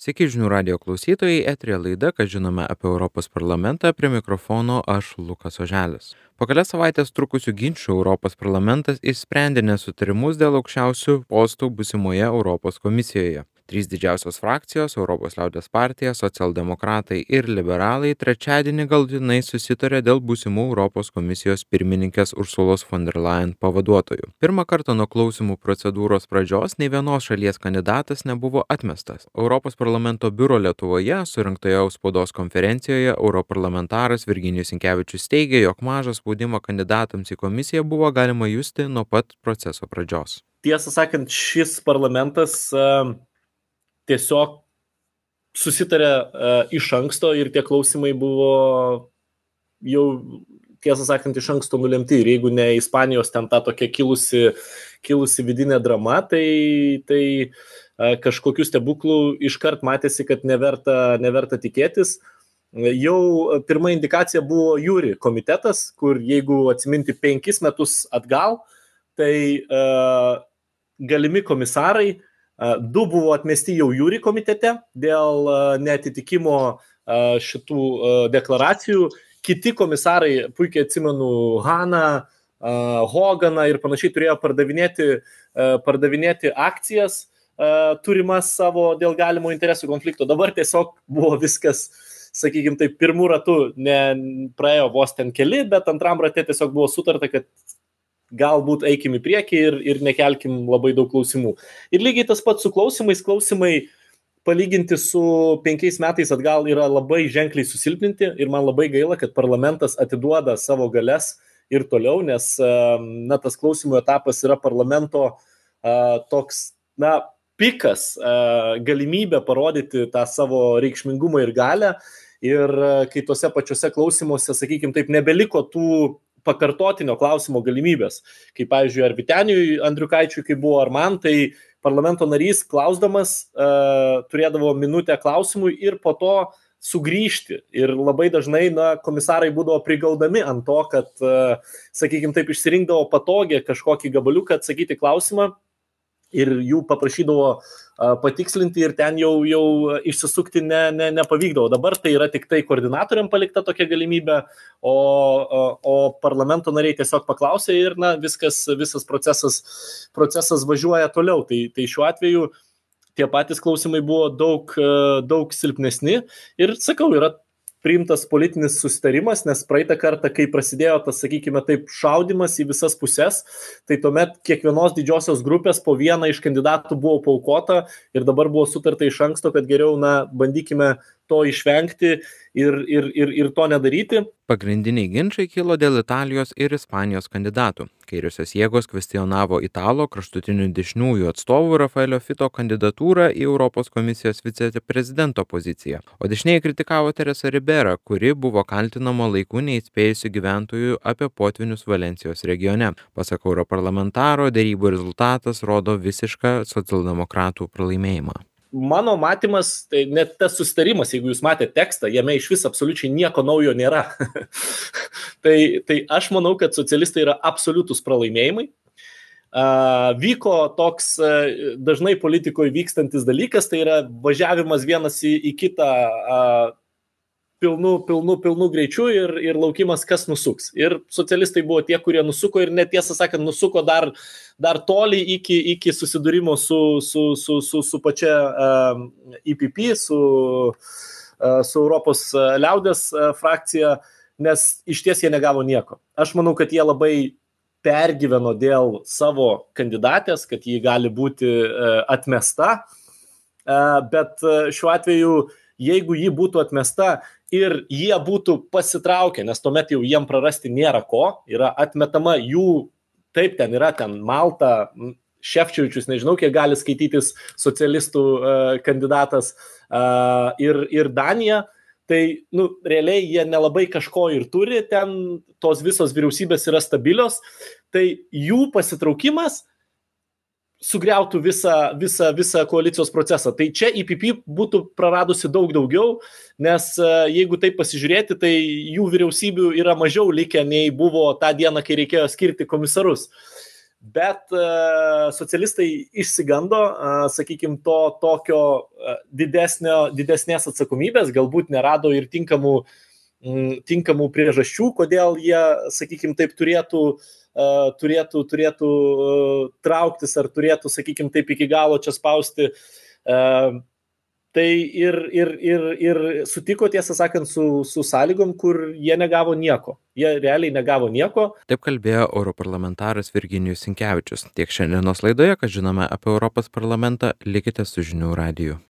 Sveiki žinių radijo klausytojai, eteryje laida, ką žinome apie Europos parlamentą, prie mikrofono aš Lukas Oželis. Po kelias savaitės trukusių ginčių Europos parlamentas išsprendė nesutarimus dėl aukščiausių postų būsimoje Europos komisijoje. Trys didžiausios frakcijos - Europos liaudies partija, socialdemokratai ir liberalai - trečiadienį galutinai susitarė dėl būsimų Europos komisijos pirmininkės Ursulos von der Leyen pavaduotojų. Pirmą kartą nuo klausimų procedūros pradžios nei vienos šalies kandidatas nebuvo atmestas. Europos parlamento biuro Lietuvoje surinktoje spaudos konferencijoje europarlamentaras Virginijus Sinkevičius teigė, jog mažą spaudimą kandidatams į komisiją buvo galima justi nuo pat proceso pradžios. Tiesą sakant, šis parlamentas tiesiog susitarė iš anksto ir tie klausimai buvo jau, tiesą sakant, iš anksto nulemti. Ir jeigu ne Ispanijos ten ta tokia kilusi vidinė drama, tai kažkokių stebuklų iškart matėsi, kad neverta tikėtis. Jau pirma indikacija buvo Jūri komitetas, kur jeigu atsiminti 5 metus atgal, tai galimi komisarai 2 buvo atmesti jau Jūri komitete dėl neatitikimo šitų deklaracijų. Kiti komisarai, puikiai atsimenu, Haną, Hoganą ir panašiai, turėjo pardavinėti akcijas turimas savo dėl galimo interesų konflikto. Dabar tiesiog buvo viskas, sakykime, taip, pirmų ratų praėjo vos ten keli, bet antram rate tiesiog buvo sutarta, kad galbūt eikim į priekį ir nekelkim labai daug klausimų. Ir lygiai tas pats su klausimais. Klausimai palyginti su 5 metais atgal yra labai ženkliai susilpninti ir man labai gaila, kad parlamentas atiduoda savo galias ir toliau, nes tas klausimų etapas yra parlamento toks, pikas, galimybė parodyti tą savo reikšmingumą ir galią. Ir kai tuose pačiuose klausimuose, sakykime taip, nebeliko tų pakartotinio klausimo galimybės. Kaip, pavyzdžiui, ar Vyteniui Andriukaičiui, kai buvo, ar man, tai parlamento narys klausdamas turėdavo minutę klausimui ir po to sugrįžti. Ir labai dažnai komisarai būdavo prigaudami ant to, kad, sakykime taip, išsirinkdavo patogiai kažkokį gabaliuką atsakyti klausimą ir jų paprašydavo patikslinti ir ten jau išsisukti nepavykdavo. Dabar tai yra tik tai koordinatoriam palikta tokia galimybė, o parlamento nariai tiesiog paklausė ir visas procesas važiuoja toliau. Tai šiuo atveju tie patys klausimai buvo daug silpnesni ir, sakau, yra priimtas politinis susitarimas, nes praeitą kartą, kai prasidėjo tas, sakykime taip, šaudimas į visas pusės, tai tuomet kiekvienos didžiosios grupės po vieną iš kandidatų buvo paaukota ir dabar buvo sutarta iš anksto, kad geriau, bandykime to išvengti ir to nedaryti. Pagrindiniai ginčai kilo dėl Italijos ir Ispanijos kandidatų. Kairiosios jėgos kvestionavo Italo kraštutinių dešiniųjų atstovų Rafaelio Fito kandidatūrą į Europos komisijos viceprezidento poziciją, o dešinieji kritikavo Teresą Riberą, kuri buvo kaltinama laiku neįspėjusių gyventojų apie potvynius Valencijos regione. Pasak europarlamentaro, derybų rezultatas rodo visišką socialdemokratų pralaimėjimą. Mano matymas, tai net tas susitarimas, jeigu jūs matėte tekstą, jame iš vis absoliučiai nieko naujo nėra. tai aš manau, kad socialistai yra absoliutus pralaimėjimai. Vyko toks dažnai politikoje vykstantis dalykas, tai yra važiavimas vienas į kitą pilnu greičiu ir laukimas, kas nusuks. Ir socialistai buvo tie, kurie nusuko ir net, tiesą sakant, nusuko dar toli iki susidūrimo su pačia EPP, su Europos liaudies frakcija, nes iš ties jie negavo nieko. Aš manau, kad jie labai pergyveno dėl savo kandidatės, kad ji gali būti atmesta, bet šiuo atveju, jeigu ji būtų atmesta ir jie būtų pasitraukę, nes tuomet jau jiem prarasti nėra ko, yra atmetama jų, taip, ten Malta, Šefčiovičius, nežinau, kiek gali skaitytis socialistų kandidatas, ir Danija, tai, realiai jie nelabai kažko ir turi, ten tos visos vyriausybės yra stabilios, tai jų pasitraukimas sugriautų visą koalicijos procesą. Tai čia EPP būtų praradusi daug daugiau, nes jeigu taip pasižiūrėti, tai jų vyriausybių yra mažiau likę, nei buvo tą dieną, kai reikėjo skirti komisarus. Bet socialistai išsigando, sakykime, to tokio didesnės atsakomybės, galbūt nerado ir tinkamų priežasčių, kodėl jie, sakykime, taip turėtų trauktis ar turėtų, sakykime, taip iki galo čia spausti. Tai ir sutiko, tiesą sakant, su sąlygom, kur jie negavo nieko. Jie realiai negavo nieko. Taip kalbėjo europarlamentaras Virginijus Sinkevičius. Tiek šiandienos laidoje, kad žinome apie Europos parlamentą, likite su žinių radiju.